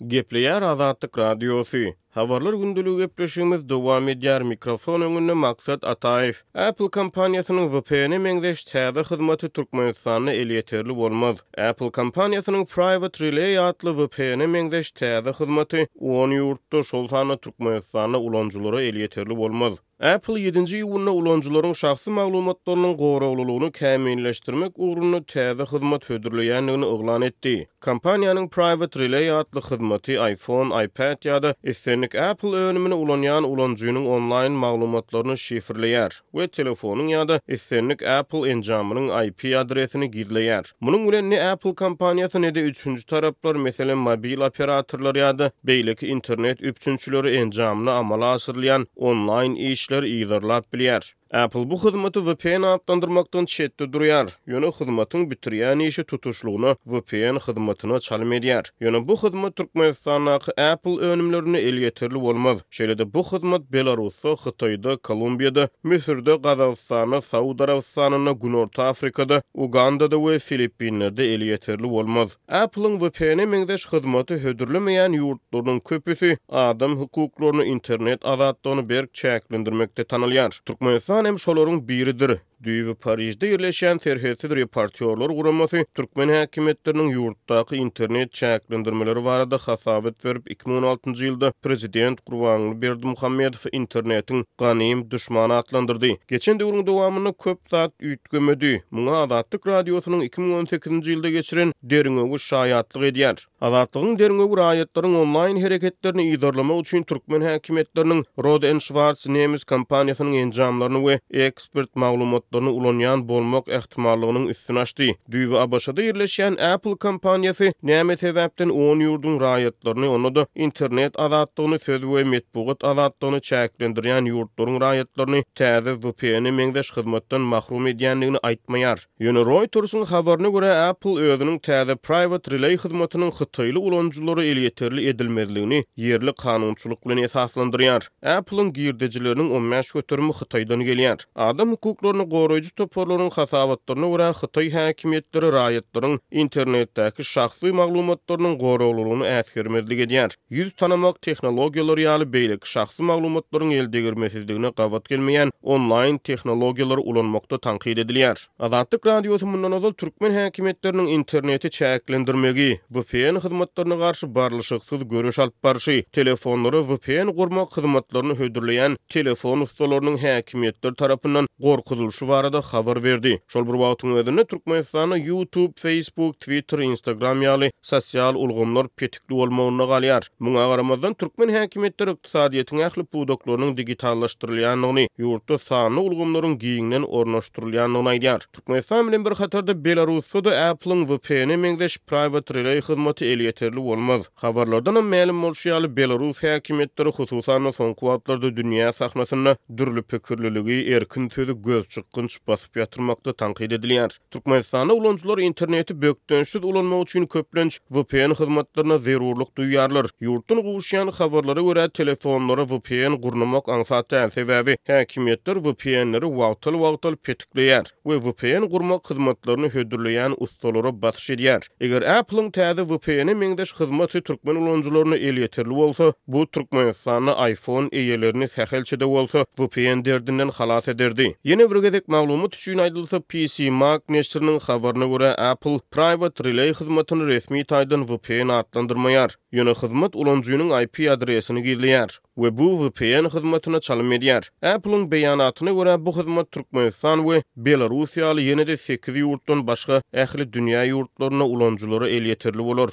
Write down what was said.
Gepleýär Azatlyk Radiosy. Habarlar gündeligi gepleşigimiz dowam edýär. Mikrofon öňünde Maksat Ataýew. Apple kompaniýasynyň VPN-e meňzeş täze hyzmaty Türkmenistanda elýeterli bolmaz. Apple kompaniýasynyň Private Relay atly VPN-e meňzeş täze hyzmaty on ýurtda, şol sanda Türkmenistanda ulanyjylara elýeterli bolmaz. Apple ýedinji iýunda ulanyjylaryň şahsy maglumatlarynyň goraglylygyny kämilleşdirmek ugrunda täze hyzmat hödürleýändigini yglan etdi. Kompaniýanyň Private Relay atly hyzmaty iPhone, iPad ýa-da islendik Apple önümini ulanýan ulanyjynyň onlaýn maglumatlaryny şifrleýär we telefonyň ýa-da islendik Apple enjamynyň IP adresini gizleýär. Munuň bilen ne Apple kompaniýasy, ne-de üçünji taraplar, meselem, mobil operatorlar ýa-da beýleki internet üpjünçileri enjamyna amala aşyrylýan onlaýn işleri yzarlap bilýär. Apple bu hyzmaty vpn atlandyrmakdan çetde durýar, ýöne hyzmatyň bitirýän işi tutuşlygyna vpn hyzmatyna çalym edýär. Ýöne bu hyzmat Türkmenistandaky Apple önümlerinde elýeterli bolmaz. Şeýle-de bu hyzmat Belarusda, Hytaýda, Kolumbiýada, Müsürde, Gazagystanda, Saud Arabystanynda, Günorta Afrikada, Ugandada we Filippinlerde elýeterli bolmaz. Apple-iň VPN-e meňzeş hyzmaty hödürlemeýän ýurtlarynyň köpüsi adam hukuklaryny, internet azatlygyny berk çäklendirmekde tanalýar. Türkmenistan hem şolaryň biridir. Düýbi Parižde ýerleşýän Serhetsiz reportýorlar guramasy türkmen häkimiýetleriniň ýurtdaky internet çäklendirmeleri barada hasabat berip, 2016-njy ýylda prezident Gurbanguly Berdimuhamedowy internetiň ganym duşmany atlandyrdy. Geçen döwrüň dowamynda köp zat üýtgemedi. Muňa Azatlyk Radiosynyň 2018-nji ýylda geçiren derňewi şaýatlyk edýär. Azatlygyň derňewi raýatlaryň onlaýn hereketlerini yzarlamak üçin türkmen häkimiýetleriniň Rohde and Schwarz nemes kompaniýasynyň enjamlaryny we ekspert maglumatlaryny ulanýan bolmak ähtimallygynyň üstüni açdy. Düýbi ABŞ-da ýerleşýän Apple kompaniýasy näme sebäpden on ýurduň raýatlaryny, onda-da internet azatlygyny, söz we metbugat azatlygyny çäklendirýän ýurtlaryň raýatlaryny täze VPN-e meňzeş hyzmatdan mahrum edýändigini aýtmaýar. Ýöne Reuters-iň habaryna görä, Apple özüniň täze Private Relay hyzmatynyň hytaýly ulanyjylara elýeterli edilmezligini ýerli kanunçylyk bilen esaslandyrýar. Apple-iň girdejileriniň 15 göterimi Hytaýdan gelýär. Adam hukuklaryny goraýjy toparlaryň hasabatlaryna görä, hytaý häkimiýetleri raýatlaryň internetdäki şahsy maglumatlarynyň goraglylygyny äsgermezlik edýär. Ýüz tanamak tehnologiýalary ýaly beýleki şahsy maglumatlaryň eldegirmesizligine gabat gelmeýän onlaýn tehnologiýalary ulanmakda tankyt edilýär. Azatlyk Radiosy mundan ozal türkmen häkimiýetleriniň interneti çäklendirmegi, vpn hyzmatlaryna garşy barlyşyksyz göreş alyp barşy, telefonlara vpn gurmak hyzmatlaryny hödürleýän telefon ussalarynyň häkimiýetler tarapyndan gorkuzylyşy barada habar berdi. Şol bir wagtyň özünde Türkmenistanda YouTube, Facebook, Twitter, Instagram ýaly sosial ulgamlar petikli bolmagynda galýar. Muňa garamazdan, türkmen häkimiýetleri ykdysadyýetiň ähli pudaklarynyň digitallaşdyrylýandygyny, ýurtda sanly ulgamlaryň giňden ornaşdyrylýandygyny aýdýar. Türkmenistan bilen bir hatarda Belarusda-da Apple-iň VPN-e meňzeş Private Relay hyzmaty elýeterli bolmaz. Habarlardanam mälim bolşy ýaly, belarus häkimiýetleri, hususan-da, soňky wagtlarda dünýä sahnasynda dürli pikirliligi, erkin sözi gözçykgynç basyp ýatyrmakda tankyt edilýär. Türkmenistanda ulanyjylar interneti bökdençsiz ulanmak üçin köplenç vpn hyzmatlaryna zerurlyk duýýarlar. Ýurtdan gowuşýan habarlara görä, telefonlara vpn gurnamak aňsat däl, sebäbi häkimiýetler vpn-leri wagtal-wagtal petikleýär we vpn gurmak hyzmatlaryny hödürleýän ussalara basyş edýär. Eger Apple-iň täze VPN-e meňzeş hyzmaty türkmen ulanyjylaryna elýeterli bolsa, bu Türkmenistanda iPhone eýelerini sähelçe-de bolsa VPN derdinden halas ederdi. Ýene bir gezek maglumat üçin aýdylsa, PC Mag neşiriniň habaryna görä, Apple Private Relay hyzmatyny resmi taýdan VPN atlandyrmaýar. Ýöne hyzmat ulanyjynyň IP adresini gizleýär we bu VPN hyzmatyna çalym edýär. Apple-iň beýanatyna görä, bu hyzmat Türkmenistan we Belarus ýaly ýene-de sekiz ýurtdan başga ähli dünýä ýurtlarynda ulanyjylara elýeterli bolar.